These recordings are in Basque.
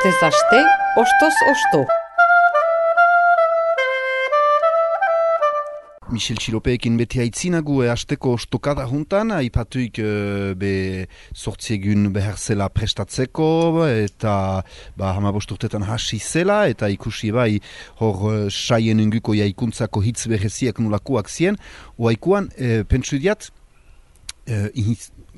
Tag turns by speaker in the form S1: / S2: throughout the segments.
S1: Astez aste, ostoz osto.
S2: Michel Txilopeekin beti haitzinagu asteko ostokada juntan, aipatuik be sortziegun behar zela prestatzeko, eta hamabosturtetan hasi zela, eta ikusi bai hor saien inguko jaikuntzako hitz bereziak nulakoak zien, oaikuan pentsu diat,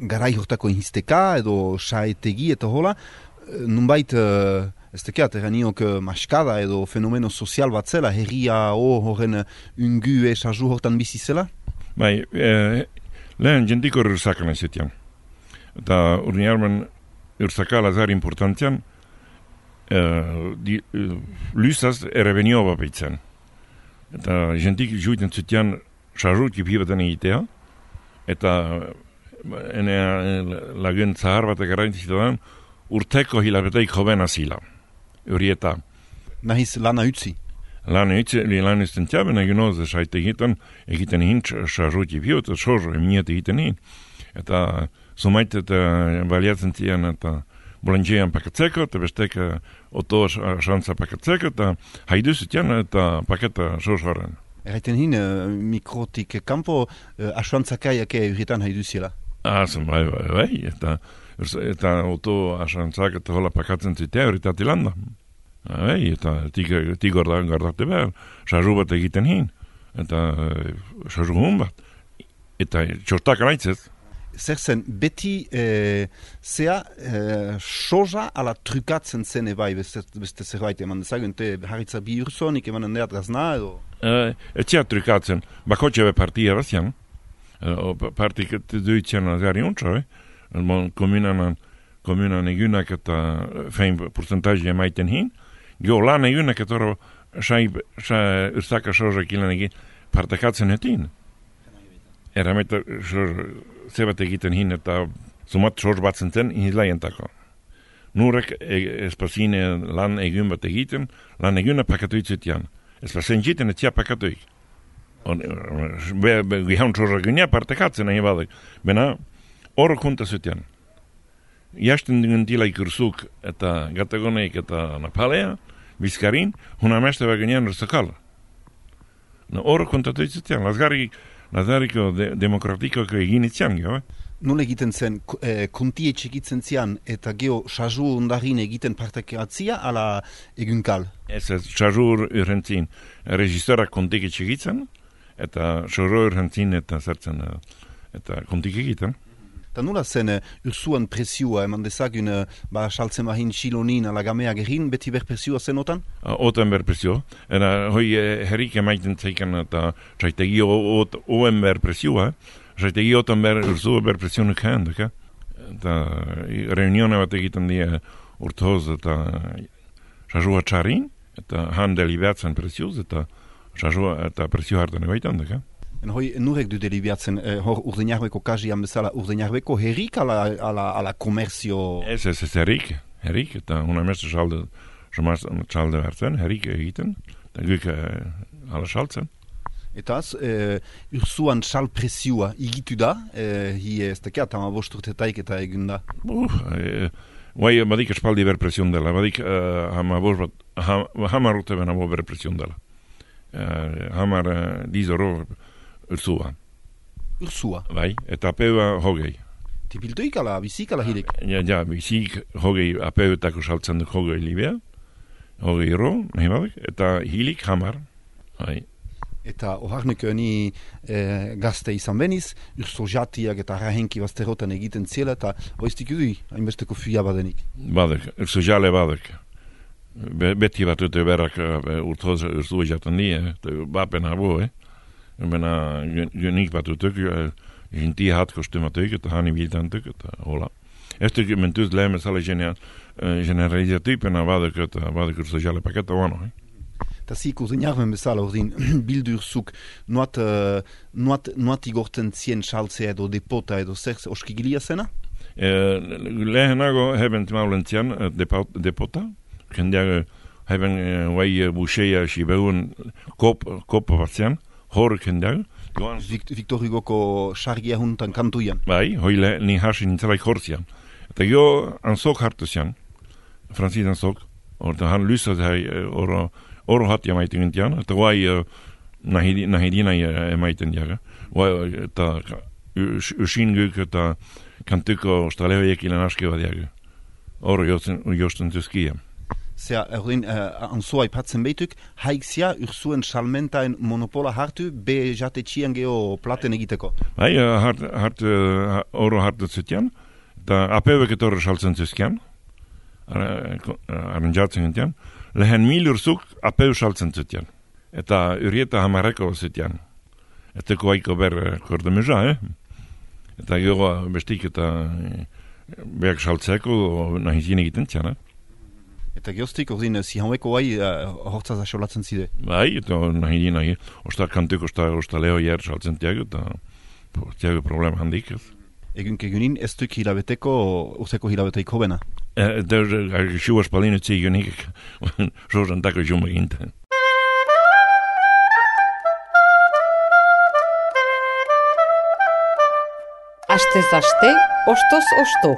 S2: garai hortako inhisteka edo saetegi eta hola, nunbait ez tekeat, eraniok maskada edo fenomeno sozial bat zela, herria horren ungu esaju hortan bizi zela?
S3: Bai, lehen jentiko ursakala zetian. Eta urni armen ursakala zar importantian, lysaz erevenio bapeitzen. Eta jentik juiten zetian sajut jipibaten egitea, eta lagun zahar bat egarraintizitetan, urteko hilabeteik joven azila. Urieta.
S2: Nahiz lana utzi?
S3: Lana uzten tiaben eginoz saite egiten hin sarruti biot, sorro emiet egiten hin. Eta sumaitet baliatzen tian eta bolantjean pakatzeko, eta bestek oto xantza pakatzeko, eta haiduz tian eta paketa sorsoren.
S2: Erraiten hin, mikrotik kanpo asuantzakaiak urietan haiduziela?
S3: Bai, eta oto asantzak eta hola pakatzen zitea horitat ilanda. Eta tigor da gardate behar, sarru bat egiten hin, eta sarru hun bat. Eta txortak anaitzez.
S2: Zer zen, beti zea soja ala trukatzen zen ebai, beste zerbait eman dezagun, haritza bi ursonik eman endeat gazna edo?
S3: Etxea trukatzen, bakotxe be partia bazian, partik duitzen azari untsa, Komunan egunak eta fein porcentaje emaiten hin. Gio lan egunak eta ursaka sorrak ilan egin partakatzen etin. Erameta zebat egiten hin eta sumat sor batzen zen inizlaientako. Nurek espazine lan egun bat egiten, lan eguna pakatuitzetian. Espazen jiten etzia pakatuik. Gihaun sorrak egunia partakatzen egin badak. Bena, hor kuntasutian. Jasten dingen tilaik ursuk eta gatagoneik eta napalea, bizkarin, huna meste baginean ursakala. Hor kuntatuitzutian, lazgariko demokratiko egin itzian, jo?
S2: Nola egiten zen, kontie txekitzen zian eta geho saju ondarin egiten partekatzia ala egunkal?
S3: Ez, saju urrentzin, registorak kontik txekitzen, eta saju urrentzin eta zertzen, eta kontik egiten.
S2: Eta nola zen ursuan presioa, eman dezagun saltzen bahin xilonin ala gamea gerin, beti berpresioa zen otan?
S3: Otan berpresio. Hoi herrik emaiten zeiken eta saitegi oen berpresioa, saitegi otan ursua berpresionik handik. Eta reunione bat egiten die urtoz eta sasua txarin, eta han delibatzen presioz, eta sasua eta presio hartan ebaitan,
S2: En hoi nurek du delibiatzen hor urdenjarbeko kajian bezala urdenjarbeko herrik ala komerzio?
S3: Ez herrik, eta huna meste txalde bertzen, herrik egiten, eta guk ala xaltzen.
S2: Eta az, ursuan xal presioa igitu da, hi ez tekeat hama bosturtetaik eta egun da?
S3: Guai, badik espaldi berpresion dela, badik hamar urte bena bo berpresion dela. Hamar dizoro ursua.
S2: Ursua?
S3: Bai, eta apeua hogei.
S2: Tipiltoik ala, bizik ala hilik?
S3: Ja, bizik hogei apeuetako saltzen duk hogei libea, hogei ero, nahi badak, eta hilik hamar. Bai.
S2: Eta oharnek ni gazte izan beniz, urso jatiak eta rahenki bazterotan egiten ziela, eta oiztik udui, hainbesteko fuia badenik.
S3: Badak, urso jale badak. Beti bat dute berak urtoz urso jaten die, bapen abo, Bena nik bat utuk, jinti hat kostumatuk, eta hani biltantuk, eta hola. Ez tuk mentuz lehme zale generalizatupena badak urso jale paketa wano.
S2: Eta zik urdenjarmen bezala ordin bildurzuk nuat igorten zien xaltzea edo depota edo zer oskigilia zena?
S3: Lehenago heben maulentzian depota, kendeago heben guai buxeia sibeun kopa batzian, horreken da.
S2: Victor Hugoko sargia juntan kantuian.
S3: Bai, hoile ni hasi nintzelaik hortzian. Eta jo anzok hartu zian, Francis anzok, Orta han lyssat här oro hat ja maiten tian. Että vai nahi dina ja maiten ja. Vai ta ushingu ta kantuko staleojekilen askevat ja. Oro josten tuskia.
S2: Zea, anzua ipatzen behituk, haikzia urzuen salmentaen monopola hartu, be jatetxian geho platen egiteko.
S3: Bai, oro hartu zutian, eta apebeket oro saltzen zuzkian, aranjatzen gintian, lehen 1000 urzuk apeu saltzen zutian. Eta urieta hamareko zutian. Eta koaiko ber kordemeza, Eta gero bestik eta beak saltzeko nahi zine egiten zian,
S2: Eta geostik, ordin, zihaueko bai hortzaz asolatzen zide.
S3: Bai, eta nahi, osta kantuko osta leo jer saltzen tiago, eta tiago problema handik.
S2: Egunin, ez duk hilabeteko, urzeko hilabeteiko bena.
S3: Eta xua spalinu egunik, sosan tako juma ginten.
S1: Astez aste, ostoz osto.